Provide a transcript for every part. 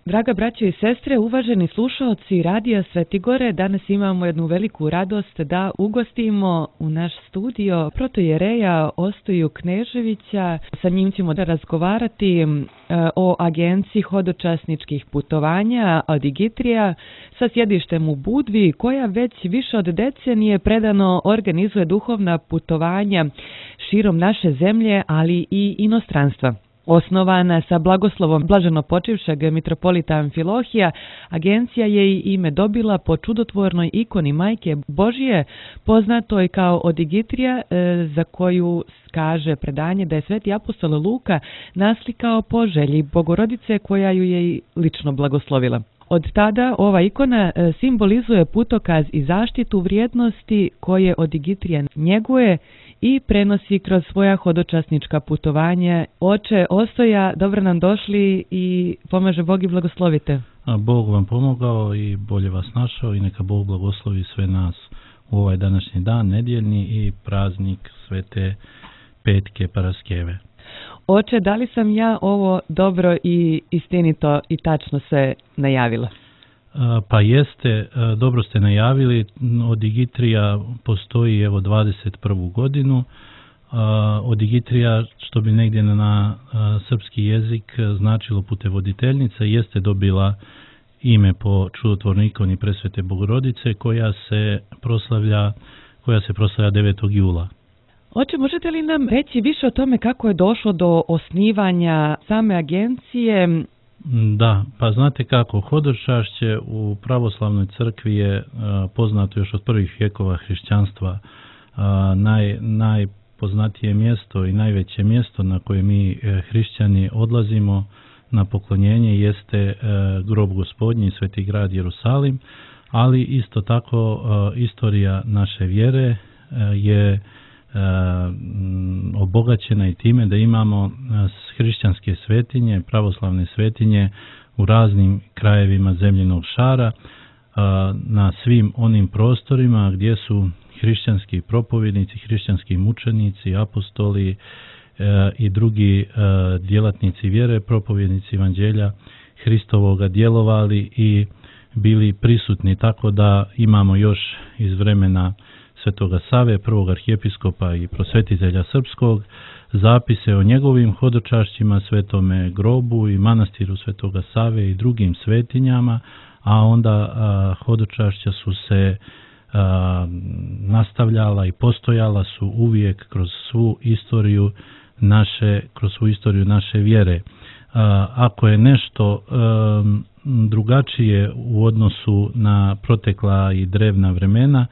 Draga braćo i sestre, uvaženi slušaoci Radija Svetigore, danas imamo jednu veliku radost da ugostimo u naš studio protojereja Ostoju Kneževića. Sa njim ćemo da razgovarati o agenciji hodočasničkih putovanja Odigitrija sa sjedištem u Budvi, koja već više od decenije predano organizuje duhovna putovanja širom naše zemlje, ali i inostranstva. Osnovana sa blagoslovom blaženopočivšeg mitropolita Amfilohija, agencija je i ime dobila po čudotvornoj ikoni Majke Božije, poznatoj kao Odigitrija, za koju kaže predanje da je sveti apostol Luka naslikao po želji Bogorodice koja ju je lično blagoslovila. Od tada ova ikona simbolizuje putokaz i zaštitu vrijednosti koje Odigitrija njeguje i prenosi kroz svoja hodočasnička putovanja. Oče Ostoja, dobro nam došli i pomaže Bog i blagoslovite. Bog vam pomogao i bolje vas našao i neka Bog blagoslovi sve nas u ovaj današnji dan, nedjeljni i praznik Svete Petke Paraskeve. Oče, da li sam ja ovo dobro i istinito i tačno se najavila? Pa jeste, dobro ste najavili. Odigitrija postoji evo 21. godinu. Odigitrija, što bi negdje na srpski jezik značilo putevoditeljnica, jeste dobila ime po čudotvornoj ikoni Presvete Bogorodice koja se proslavlja 9. jula. Oče, možete li nam reći više o tome kako je došlo do osnivanja same agencije? Da, pa znate kako, hodočašće u pravoslavnoj crkvi je poznato još od prvih vjekova hrišćanstva. Najpoznatije mjesto i najveće mjesto na koje mi hrišćani odlazimo na poklonjenje jeste grob Gospodnji, Sveti grad Jerusalim, ali isto tako istorija naše vjere je obogaćena i time da imamo hrišćanske svetinje, pravoslavne svetinje u raznim krajevima zemljinog šara, na svim onim prostorima gdje su hrišćanski propovjednici, hrišćanski mučenici, apostoli i drugi djelatnici vjere, propovjednici evanđelja Hristovoga djelovali i bili prisutni, tako da imamo još iz vremena Svetoga Save, prvog arhijepiskopa i prosvetitelja srpskog, zapise o njegovim hodočašćima, svetome grobu i manastiru Svetoga Save i drugim svetinjama, a onda hodočašća su se nastavljala i postojala su uvijek kroz svu istoriju naše vjere. Ako je nešto drugačije u odnosu na protekla i drevna vremena,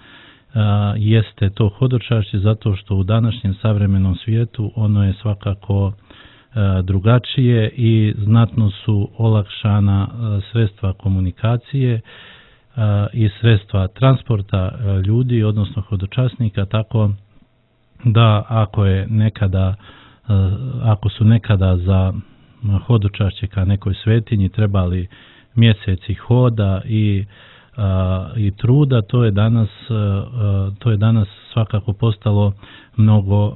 jeste to hodočašće, zato što u današnjem savremenom svijetu ono je svakako drugačije i znatno su olakšana sredstva komunikacije i sredstva transporta ljudi, odnosno hodočasnika, tako da ako su nekada za hodočašće ka nekoj svetinji trebali mjeseci hoda i truda, to je danas svakako postalo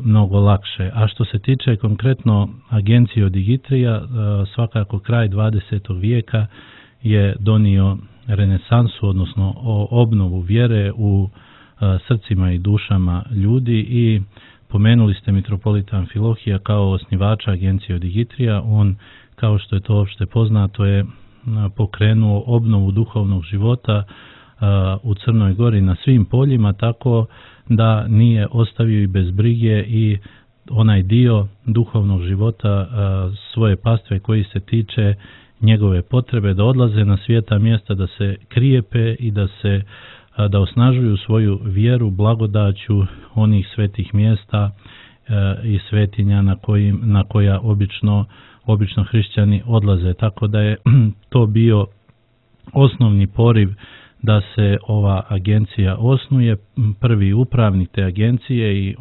mnogo lakše. A što se tiče konkretno agencije Odigitrija, svakako kraj 20. vijeka je donio renesansu, odnosno obnovu vjere u srcima i dušama ljudi i pomenuli ste mitropolita Amfilohija kao osnivača agencije Odigitrija. On, kao što je to opšte poznato, je pokrenuo obnovu duhovnog života u Crnoj Gori na svim poljima, tako da nije ostavio i bez brige i onaj dio duhovnog života svoje pastve koji se tiče njegove potrebe da odlaze na svijeta mjesta, da se krijepe i da osnažuju svoju vjeru blagodaću onih svetih mjesta i svetinja na koja obično hrišćani odlaze. Tako da je to bio osnovni poriv da se ova agencija osnuje. Prvi upravnik te agencije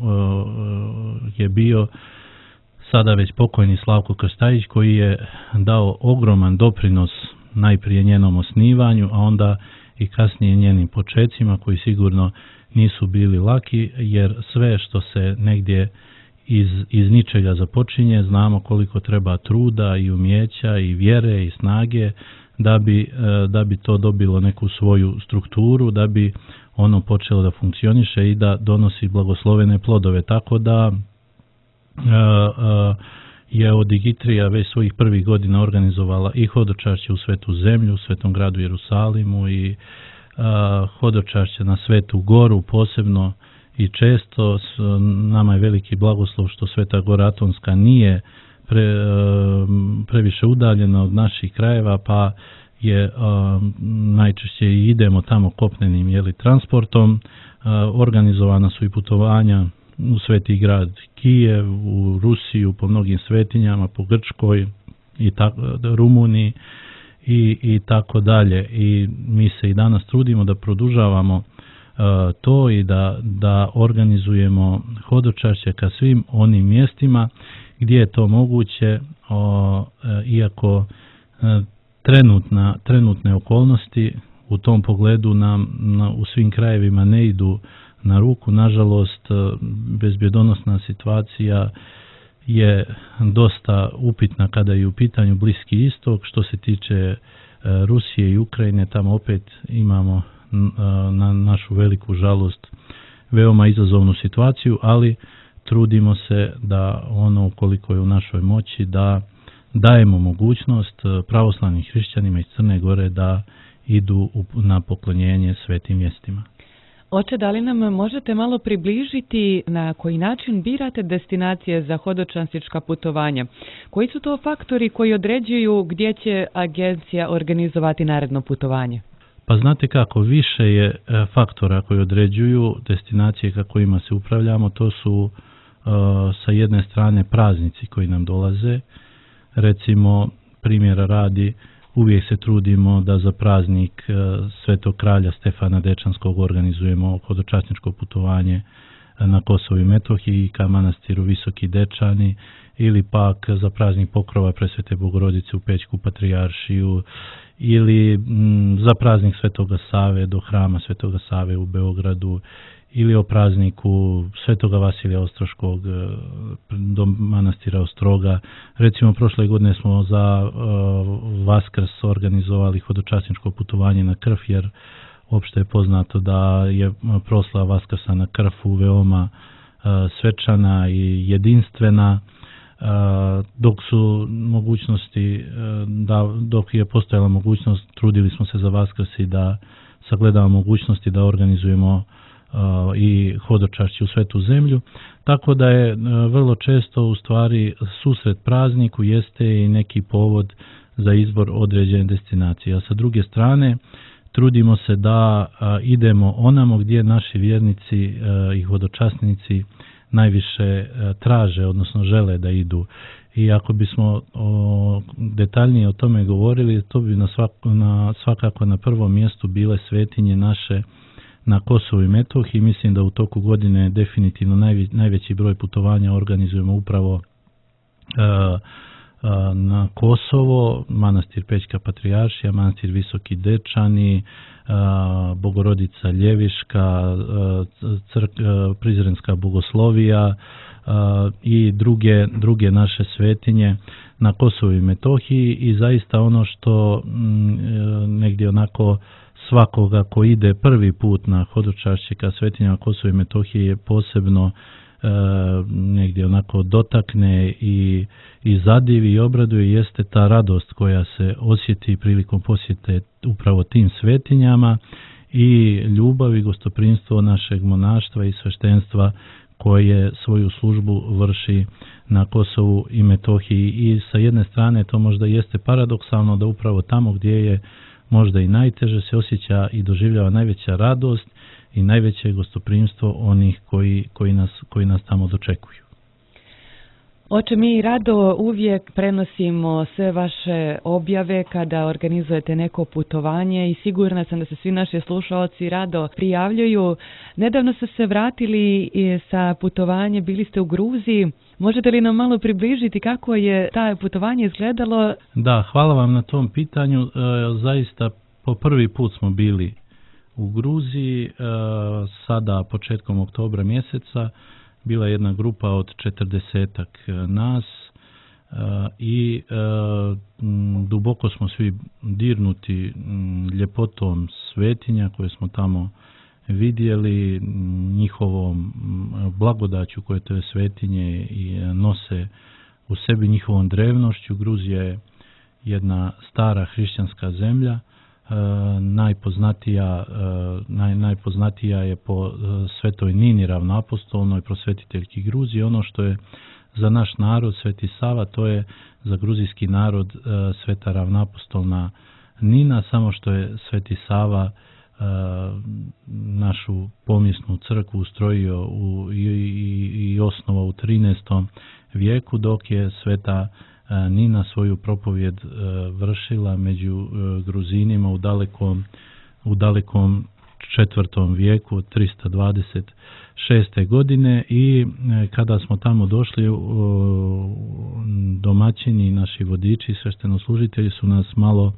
je bio sada već pokojni Slavko Krstajić, koji je dao ogroman doprinos najprije njenom osnivanju, a onda i kasnije njenim počecima, koji sigurno nisu bili laki, jer sve što se negdje iz ničega započinje, znamo koliko treba truda i umijeća i vjere i snage da bi to dobilo neku svoju strukturu, da bi ono počelo da funkcioniše i da donosi blagoslovene plodove. Tako da je Odigitrija već svojih prvih godina organizovala i hodočašće u Svetu zemlju, u Svetom gradu Jerusalimu i hodočašće na Svetu goru posebno i često. Nama je veliki blagoslov što Sveta gora Atonska nije previše udaljena od naših krajeva, pa je najčešće i idemo tamo kopnenim transportom. Organizovana su i putovanja u Sveti grad Kijev, u Rusiju, po mnogim svetinjama, po Grčkoj i Rumuniji i tako dalje. I mi se i danas trudimo da produžavamo to i da organizujemo hodočašće ka svim onim mjestima gdje je to moguće, iako trenutne okolnosti u tom pogledu nam u svim krajevima ne idu na ruku. Nažalost, bezbjedonosna situacija je dosta upitna kada je u pitanju Bliski istok. Što se tiče Rusije i Ukrajine, tamo opet imamo na našu veliku žalost veoma izazovnu situaciju, ali trudimo se da ono koliko je u našoj moći da dajemo mogućnost pravoslavnim hrišćanima iz Crne Gore da idu na poklonjenje svetim mjestima. Oče, da li nam možete malo približiti na koji način birate destinacije za hodočastička putovanja? Koji su to faktori koji određuju gdje će agencija organizovati naredno putovanje? Pa znate kako, više je faktora koji određuju destinacije ka kojima se upravljamo. To su sa jedne strane praznici koji nam dolaze. Recimo, primjera radi, uvijek se trudimo da za praznik Svetog kralja Stefana Dečanskog organizujemo hodočasničko putovanje na Kosovu i Metohiji ka manastiru Visoki Dečani, ili pak za praznik pokrova Presvete Bogorodice u Pećku Patrijaršiju, ili za praznik Svetoga Save do hrama Svetoga Save u Beogradu, ili o prazniku Svetoga Vasilija Ostroškog do manastira Ostroga. Recimo, prošle godine smo za Vaskrs organizovali hodočasničko putovanje na Krf, jer opšte je poznato da je proslava Vaskrsa na Krfu veoma svečana i jedinstvena, dok su mogućnosti, dok je postojala mogućnost, trudili smo se za Vaskrs i da sagledamo mogućnosti da organizujemo i hodočašće u Svetu zemlju, tako da je vrlo često u stvari susret prazniku jeste i neki povod za izbor određene destinacije. A sa druge strane, trudimo se da idemo onamo gdje naši vjernici i hodočasnici najviše traže, odnosno žele da idu. I ako bismo detaljnije o tome govorili, to bi svakako na prvom mjestu bile svetinje naše na Kosovu i Metohiji. Mislim da u toku godine definitivno najveći broj putovanja organizujemo upravo na Kosovo, manastir Pećka Patrijaršija, manastir Visoki Dečani, Bogorodica Ljeviška, Prizrenska Bogoslovija i druge naše svetinje na Kosovu i Metohiji. I zaista ono što negdje onako svakoga ko ide prvi put na hodočašće ka svetinjama Kosova i Metohije je posebno negdje onako dotakne i zadivi i obraduje, jeste ta radost koja se osjeti prilikom posjete upravo tim svetinjama i ljubav i gostoprimstvo našeg monaštva i sveštenstva koje svoju službu vrši na Kosovu i Metohiji. I sa jedne strane to možda jeste paradoksalno da upravo tamo gdje je možda i najteže se osjeća i doživljava najveća radost i najveće gostoprimstvo onih koji nas tamo dočekuju. Oče, mi rado uvijek prenosimo sve vaše objave kada organizujete neko putovanje i sigurna sam da se svi naši slušalci rado prijavljuju. Nedavno ste se vratili sa putovanje, bili ste u Gruziji. Možete li nam malo približiti kako je taj putovanje izgledalo? Da, hvala vam na tom pitanju. Zaista po prvi put smo bili u Gruziji, sada početkom oktobra mjeseca. bila jedna grupa od 40-ak nas i duboko smo svi dirnuti ljepotom svetinja koje smo tamo vidjeli, njihovom blagodaću koje te svetinje nose u sebi, njihovom drevnošću. Gruzija je jedna stara hrišćanska zemlja, najpoznatija je po svetoj Nini ravnoapostolnoj, prosvetiteljki Gruzije. Ono što je za naš narod Sveti Sava, to je za gruzijski narod sveta ravnoapostolna Nina, samo što je Sveti Sava našu pomijesnu crkvu ustrojio i osnovao u 13. vijeku, dok je sveta Nina svoju propovjed vršila među Gruzinima u dalekom 4. vijeku, 326. godine, i kada smo tamo došli, domaćini, naši vodiči, sveštenoslужitelji su nas malo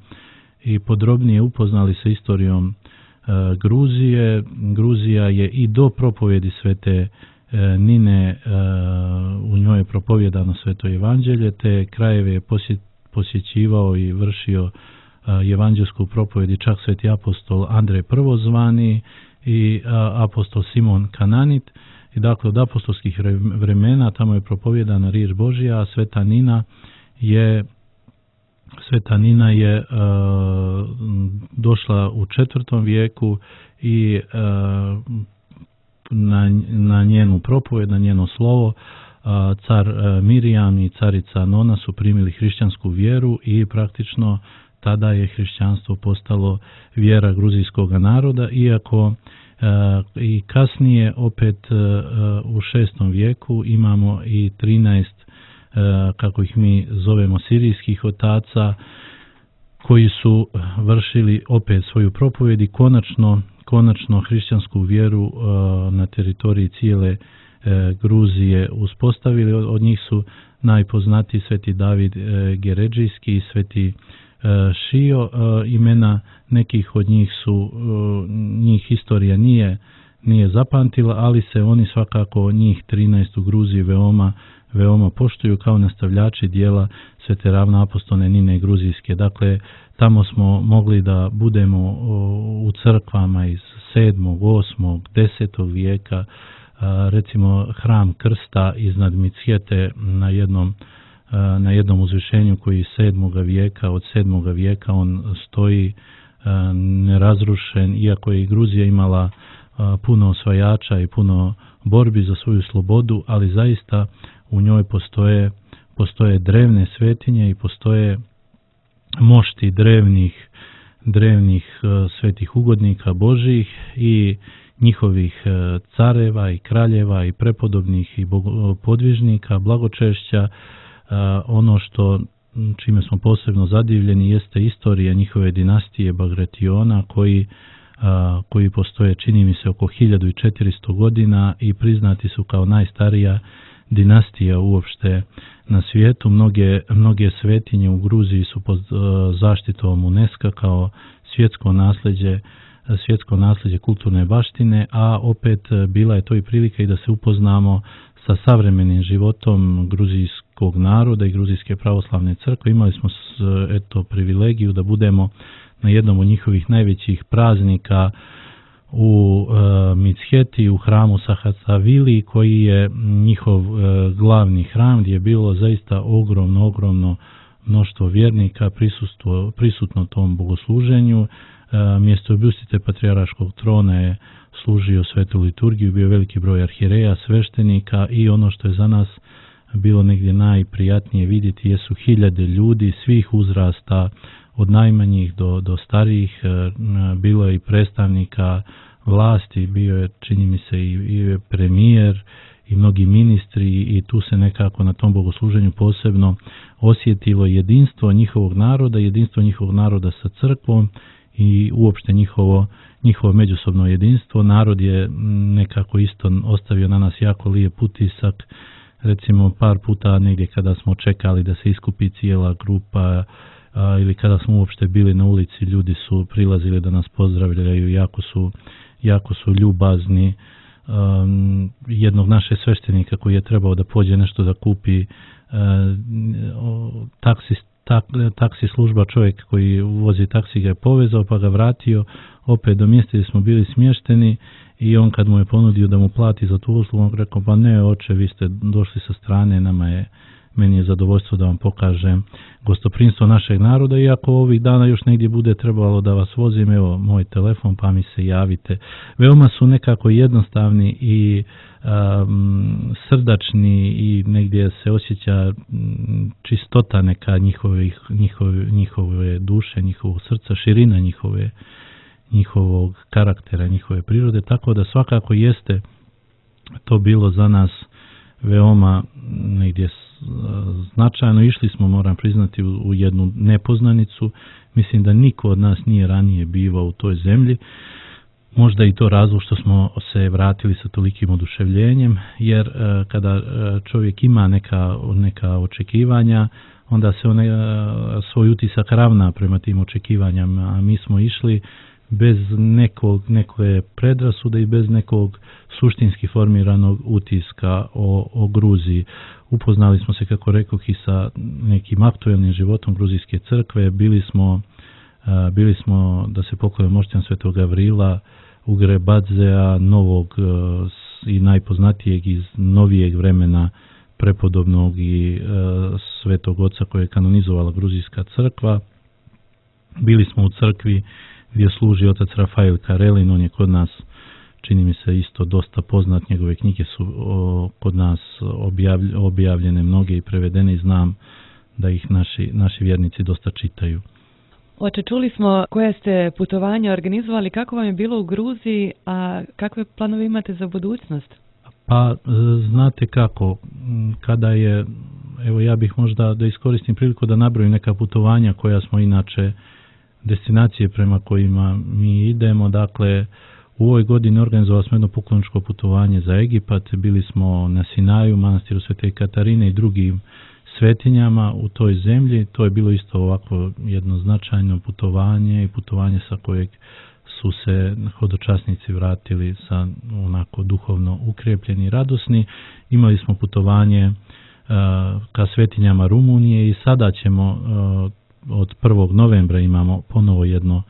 i podrobnije upoznali sa istorijom Gruzije. Gruzija je i do propovjedi svete Nine, u njoj je propovjedano sveto evanđelje, te krajeve je posjećivao i vršio evanđelsku propovjed i čak sveti apostol Andrej Prvozvani i apostol Simon Kananit. I dakle, od apostolskih vremena tamo je propovjedana riječ Božja, a Sveta Nina je došla u 4. vijeku i na njenu propovjed, na njeno slovo, car Mirjam i carica Nona su primili hrišćansku vjeru i praktično tada je hrišćanstvo postalo vjera gruzijskog naroda, iako i kasnije opet u 6. vijeku imamo i 13, kako ih mi zovemo, sirijskih otaca koji su vršili opet svoju propovjed i konačno hrišćansku vjeru na teritoriji cijele Gruzije uspostavili. Od njih su najpoznatiji sveti David Geredžijski i sveti Šio. Imena nekih od njih njih historija nije zapamtila, ali se oni svakako, njih 13 u Gruziji, veoma poštuju kao nastavljači dijela svete ravnoapostolne Nine Gruzijske. Dakle, tamo smo mogli da budemo u crkvama iz 7., 8., 10. vijeka, recimo hram Krsta iznad Micjete na jednom uzvišenju koji je 7. vijeka, od 7. vijeka on stoji nerazrušen, iako je i Gruzija imala puno osvajača i puno borbi za svoju slobodu, ali zaista u njoj postoje drevne svetinje i postoje mošti drevnih svetih ugodnika Božjih i njihovih careva i kraljeva i prepodobnih i podvižnika, blagočešća. Ono čime smo posebno zadivljeni jeste istorija njihove dinastije Bagrationa, koji postoje, čini mi se, oko 1400 godina i priznati su kao najstarija dinastija uopšte na svijetu. Mnoge svetinje u Gruziji su pod zaštitom UNESCO kao svjetsko nasljeđe kulturne baštine, a opet bila je to i prilika i da se upoznamo sa savremenim životom gruzijskog naroda i gruzijske pravoslavne crkve. Imali smo privilegiju da budemo na jednom od njihovih najvećih praznika u Micjeti, u hramu Sahatsavili, koji je njihov glavni hram, gdje je bilo zaista ogromno mnoštvo vjernika prisutno tom bogosluženju. Mjesto objustite patrijarškog trona je služio svetu liturgiju, bio veliki broj arhijereja, sveštenika, i ono što je za nas bilo negdje najprijatnije vidjeti jesu hiljade ljudi svih uzrasta, od najmanjih do starijih. Bilo je i predstavnika vlasti, bio je, čini mi se, i premijer i mnogi ministri, i tu se nekako na tom bogosluženju posebno osjetilo jedinstvo njihovog naroda sa crkvom i uopšte njihovo međusobno jedinstvo. Narod je nekako isto ostavio na nas jako lijep utisak. Recimo, par puta negdje kada smo čekali da se iskupi cijela grupa, ili kada smo uopšte bili na ulici, ljudi su prilazili da nas pozdravljaju, jako su ljubazni, jednog našeg sveštenika koji je trebao da pođe nešto da kupi, taksi služba, čovjek koji vozi taksi ga je povezao pa ga vratio opet do mjesta gdje smo bili smješteni, i on kad mu je ponudio da mu plati za tu uslugu, on rekao, pa ne oče, vi ste došli sa strane, meni je zadovoljstvo da vam pokažem gostoprimstvo našeg naroda, iako ovih dana još negdje bude trebalo da vas vozim, evo moj telefon pa mi se javite. Veoma su nekako jednostavni i srdačni i negdje se osjeća čistota neka njihove duše, njihovog srca, širina njihovog karaktera, njihove prirode, tako da svakako jeste to bilo za nas veoma negdje značajno. Išli smo, moram priznati, u jednu nepoznanicu. Mislim da niko od nas nije ranije bivao u toj zemlji. Možda i to razlog što smo se vratili sa tolikim oduševljenjem, jer kada čovjek ima neka očekivanja, onda se svoj utisak ravna prema tim očekivanjama, a mi smo išli bez neke predrasude i bez nekog suštinski formiranog utiska o Gruziji. Upoznali smo se, kako rekoh, i sa nekim aktuelnim životom gruzijske crkve. Bili smo da se poklonimo mošćan Svetog Gavrila, Ugre Badzea, novog i najpoznatijeg iz novijeg vremena prepodobnog i Svetog Oca koje je kanonizovala gruzijska crkva. Bili smo u crkvi gdje služi otac Rafael Karelin, on je kod nas, čini mi se, isto dosta poznat, njegove knjige su kod nas objavljene mnoge i prevedene i znam da ih naši vjernici dosta čitaju. Oče, čuli smo koje ste putovanja organizovali, kako vam je bilo u Gruziji, a kakve planove imate za budućnost? Pa, znate kako, kada je, evo ja bih možda da iskoristim priliku da nabrojim neka putovanja koja smo inače, destinacije prema kojima mi idemo. Dakle, u ovoj godini organizovali smo jedno pokloničko putovanje za Egipat, bili smo na Sinaju, manastiru Svete Katarine i drugim svetinjama u toj zemlji. To je bilo isto ovako jedno značajno putovanje i putovanje sa kojeg su se hodočasnici vratili sa onako duhovno ukrepljeni i radosni. Imali smo putovanje ka svetinjama Rumunije i sada ćemo od 1. novembra imamo ponovo jedno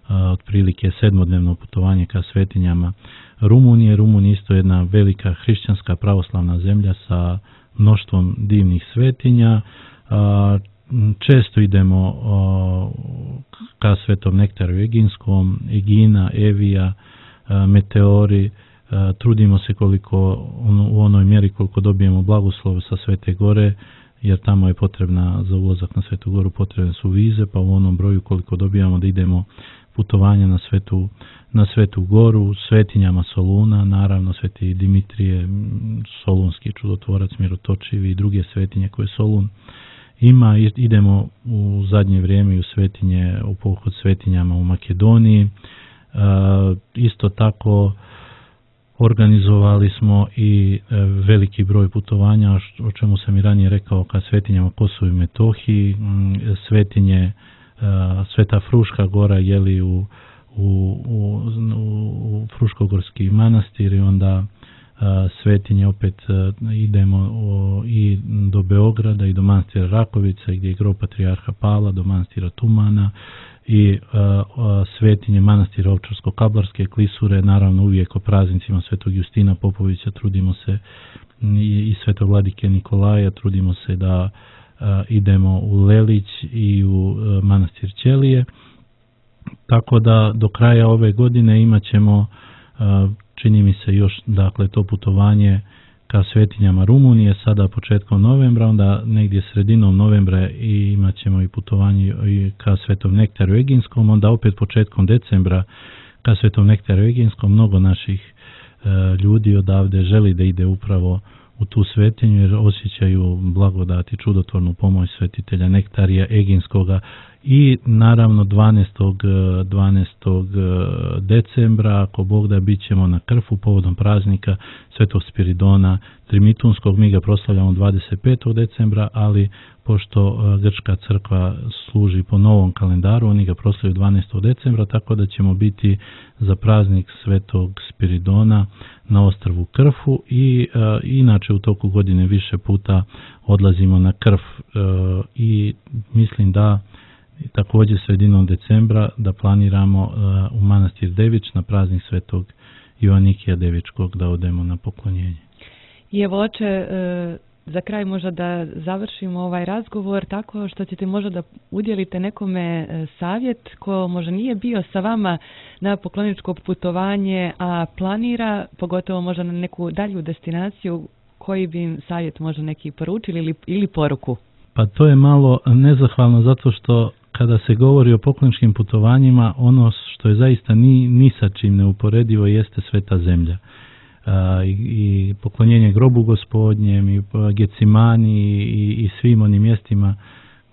otprilike 7-dnevno putovanje ka svetinjama Rumunije. Rumunija isto jedna velika hrišćanska pravoslavna zemlja sa mnoštvom divnih svetinja. Često idemo ka Svetom Nektaru Eginskom, Egina, Evija, Meteori. Trudimo se u onoj mjeri koliko dobijemo blagoslov sa Svete Gore, jer tamo je potrebna za ulazak na Svetu Goru, potrebne su vize, pa u onom broju koliko dobijamo da idemo putovanja na Svetu Goru, svetinjama Soluna, naravno Sveti Dimitrije, solunski čudotvorac, mirotočivi i druge svetinje koje Solun ima. Idemo u zadnje vrijeme i u svetinje, u pohod svetinjama u Makedoniji. Isto tako organizovali smo i veliki broj putovanja, o čemu sam i ranije rekao, ka svetinjama Kosovu i Metohiji, svetinje Sveta Fruška Gora, jeli u Fruškogorski manastir, i onda svetinje opet idemo i do Beograda i do manastira Rakovica gdje je grob patrijarha Pavla, do manastira Tumana i svetinje manastira Ovčarsko-Kablarske klisure, naravno uvijek o praznicima Svetog Justina Popovića trudimo se i Svetog Vladike Nikolaja, trudimo se da idemo u Lelić i u manastir Ćelije. Tako da do kraja ove godine imat ćemo, čini mi se, još dakle to putovanje ka svetinjama Rumunije, sada početkom novembra, onda negdje sredinom novembra i imat ćemo i putovanje ka Svetom Nektaru Eginskom, onda opet početkom decembra ka Svetom Nektaru Eginskom. Mnogo naših ljudi odavde želi da ide upravo u tu svetinju jer osjećaju blagodati, čudotvornu pomoć svetitelja Nektarija Eginskoga. I naravno 12. decembra, ako Bog da, bit ćemo na Krfu povodom praznika Svetog Spiridona Trimitunskog. Mi ga proslavljamo 25. decembra, ali pošto grčka crkva služi po novom kalendaru, oni ga proslavljaju 12. decembra, tako da ćemo biti za praznik Svetog Spiridona na ostrvu Krfu i inače u toku godine više puta odlazimo na Krf i mislim da također sredinom decembra da planiramo u manastir Devič na praznik Svetog Joanikija Devičkog da odemo na poklonjenje. I evo oče, za kraj možda da završimo ovaj razgovor tako što ćete možda da udjelite nekome savjet ko možda nije bio sa vama na pokloničko putovanje, a planira, pogotovo možda na neku dalju destinaciju, koji bi im savjet možda neki poručili ili poruku? Pa to je malo nezahvalno zato što kada se govori o pokloničkim putovanjima, ono što je zaista ni sa čim neuporedivo jeste Sveta zemlja. I poklonjenje grobu Gospodnjem i Gecimani i svim onim mjestima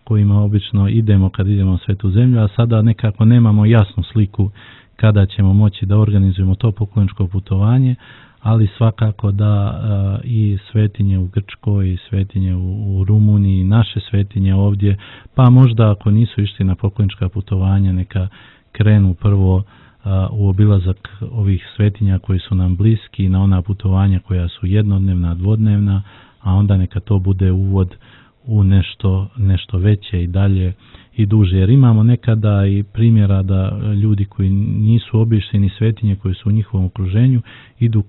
kojima obično idemo kad idemo u Svetu zemlju, a sada nekako nemamo jasnu sliku kada ćemo moći da organizujemo to pokloničko putovanje, ali svakako da i svetinje u Grčkoj i svetinje u Rumuniji, naše svetinje ovdje, pa možda ako nisu išli na poklonička putovanja neka krenu prvo u obilazak ovih svetinja koji su nam bliski, na ona putovanja koja su jednodnevna, dvodnevna, a onda neka to bude uvod u nešto veće i dalje i duže. Jer imamo nekada i primjera da ljudi koji nisu obišli ni svetinje koje su u njihovom okruženju idu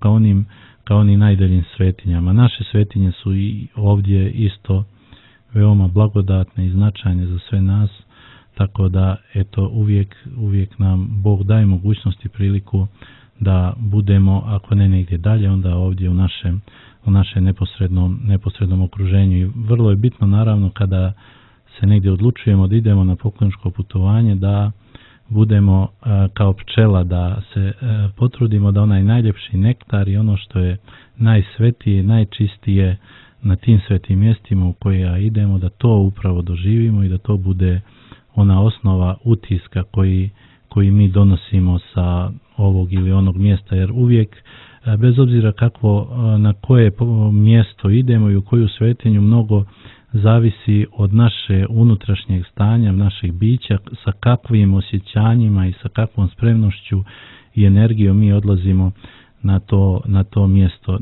ka onim najdaljim svetinjama. Naše svetinje su i ovdje isto veoma blagodatne i značajne za sve nas. Tako da, eto, uvijek nam Bog daje mogućnost i priliku da budemo, ako ne negdje dalje, onda ovdje u našem neposrednom okruženju. I vrlo je bitno, naravno, kada se negdje odlučujemo da idemo na pokloničko putovanje, da budemo kao pčela, da se potrudimo da onaj najljepši nektar i ono što je najsvetije, najčistije na tim svetim mjestima u koja idemo, da to upravo doživimo i da to bude ona osnova utiska koji mi donosimo sa ovog ili onog mjesta, jer uvijek, bez obzira na koje mjesto idemo i u koju svetinju, mnogo zavisi od naše unutrašnjeg stanja, našeg bića, sa kakvim osjećanjima i sa kakvom spremnošću i energijom mi odlazimo na to mjesto.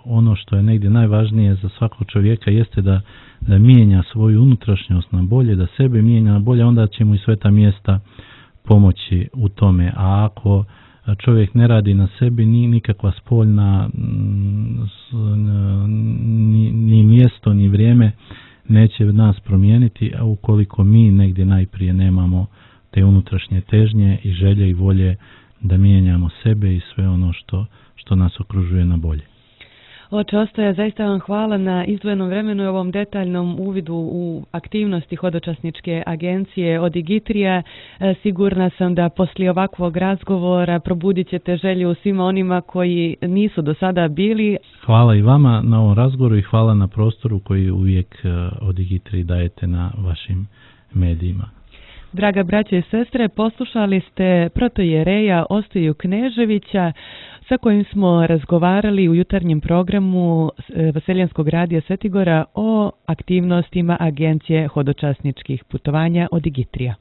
Ono što je negdje najvažnije za svakog čovjeka jeste da mijenja svoju unutrašnjost na bolje, da sebe mijenja na bolje, onda će mu i sveta mjesta pomoći u tome. A ako čovjek ne radi na sebi, ni nikakva spoljna ni mjesto, ni vrijeme neće nas promijeniti, a ukoliko mi negdje najprije nemamo te unutrašnje težnje i želje i volje da mijenjamo sebe i sve ono što nas okružuje na bolje. Oče Ostoja, zaista vam hvala na izdvojenom vremenu i ovom detaljnom uvidu u aktivnosti hodočasničke agencije Odigitrija. Sigurna sam da poslije ovakvog razgovora probudit ćete želju svima onima koji nisu do sada bili. Hvala i vama na ovom razgovoru i hvala na prostoru koji uvijek Odigitriji dajete na vašim medijima. Draga braće i sestre, poslušali ste protoijereja Ostoju Kneževića sa kojim smo razgovarali u jutarnjem programu Vaseljenskog radija Svetigora o aktivnostima Agencije hodočasničkih putovanja Odigitrija.